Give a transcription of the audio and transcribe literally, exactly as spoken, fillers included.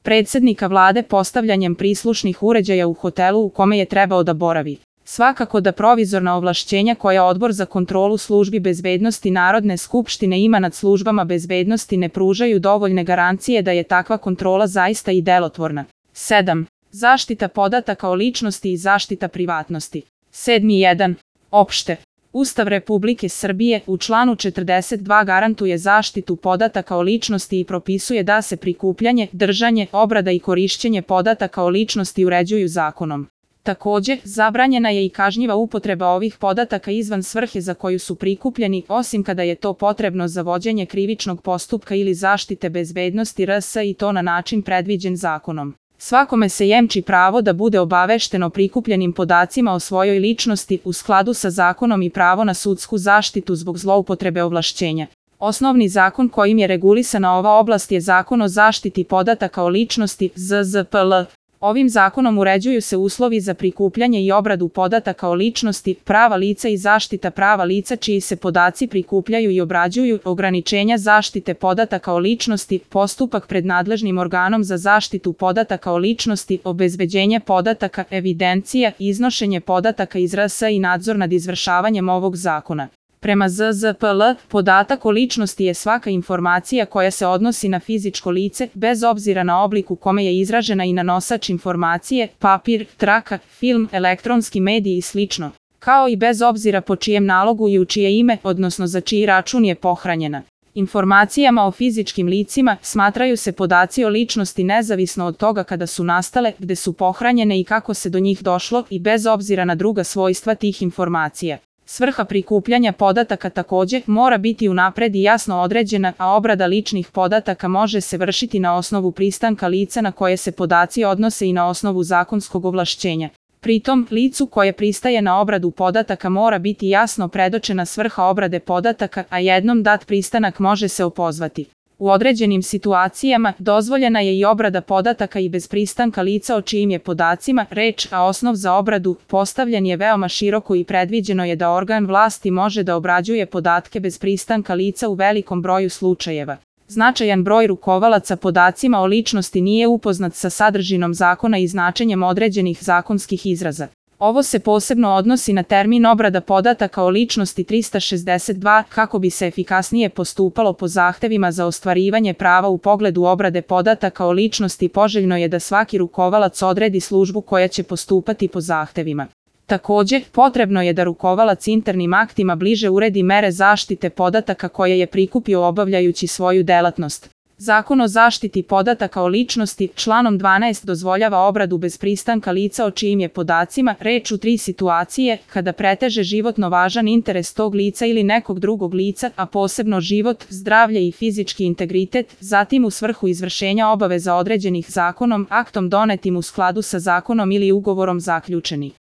predsjednika vlade postavljanjem prislušnih uređaja u hotelu u kome je trebao da boravi. Svakako da provizorna ovlašćenja koja Odbor za kontrolu službi bezbednosti Narodne skupštine ima nad službama bezbednosti ne pružaju dovoljne garancije da je takva kontrola zaista i delotvorna. sedam. Zaštita podataka o ličnosti i zaštita privatnosti. sedmi jedan. Opšte. Ustav Republike Srbije u članu četrdeset dva garantuje zaštitu podataka o ličnosti i propisuje da se prikupljanje, držanje, obrada i korišćenje podataka o ličnosti uređuju zakonom. Takođe, zabranjena je i kažnjiva upotreba ovih podataka izvan svrhe za koju su prikupljeni, osim kada je to potrebno za vođenje krivičnog postupka ili zaštite bezbednosti R S i to na način predviđen zakonom. Svakome se jemči pravo da bude obavešten o prikupljenim podacima o svojoj ličnosti u skladu sa zakonom i pravo na sudsku zaštitu zbog zloupotrebe ovlašćenja. Osnovni zakon kojim je regulisana ova oblast je Zakon o zaštiti podataka o ličnosti Z Z P L. Ovim zakonom uređuju se uslovi za prikupljanje i obradu podataka o ličnosti, prava lica i zaštita prava lica čiji se podaci prikupljaju i obrađuju, ograničenja zaštite podataka o ličnosti, postupak pred nadležnim organom za zaštitu podataka o ličnosti, obezbeđenje podataka, evidencija, iznošenje podataka iz R S i nadzor nad izvršavanjem ovog zakona. Prema Z Z P L, podatak o ličnosti je svaka informacija koja se odnosi na fizičko lice, bez obzira na oblik u kome je izražena i na nosač informacije, papir, traka, film, elektronski medij i slično, kao i bez obzira po čijem nalogu i u čije ime, odnosno za čiji račun je pohranjena. Informacijama o fizičkim licima smatraju se podaci o ličnosti nezavisno od toga kada su nastale, gde su pohranjene i kako se do njih došlo i bez obzira na druga svojstva tih informacija. Svrha prikupljanja podataka takođe mora biti unapred i jasno određena, a obrada ličnih podataka može se vršiti na osnovu pristanka lica na koje se podaci odnose i na osnovu zakonskog ovlašćenja. Pritom, licu koje pristaje na obradu podataka mora biti jasno predočena svrha obrade podataka, a jednom dat pristanak može se opozvati. U određenim situacijama dozvoljena je i obrada podataka i bez pristanka lica o čijim je podacima reč, a osnov za obradu postavljen je veoma široko i predviđeno je da organ vlasti može da obrađuje podatke bez pristanka lica u velikom broju slučajeva. Značajan broj rukovalaca podacima o ličnosti nije upoznat sa sadržinom zakona i značenjem određenih zakonskih izraza. Ovo se posebno odnosi na termin obrada podataka o ličnosti trista šezdeset dva kako bi se efikasnije postupalo po zahtevima za ostvarivanje prava u pogledu obrade podataka o ličnosti. Poželjno je da svaki rukovalac odredi službu koja će postupati po zahtevima. Takođe, potrebno je da rukovalac internim aktima bliže uredi mere zaštite podataka koje je prikupio obavljajući svoju delatnost. Zakon o zaštiti podataka o ličnosti članom dvanaest dozvoljava obradu bez pristanka lica o čijim je podacima reč u tri situacije, kada preteže životno važan interes tog lica ili nekog drugog lica, a posebno život, zdravlje i fizički integritet, zatim u svrhu izvršenja obaveza određenih zakonom, aktom donetim u skladu sa zakonom ili ugovorom zaključenih.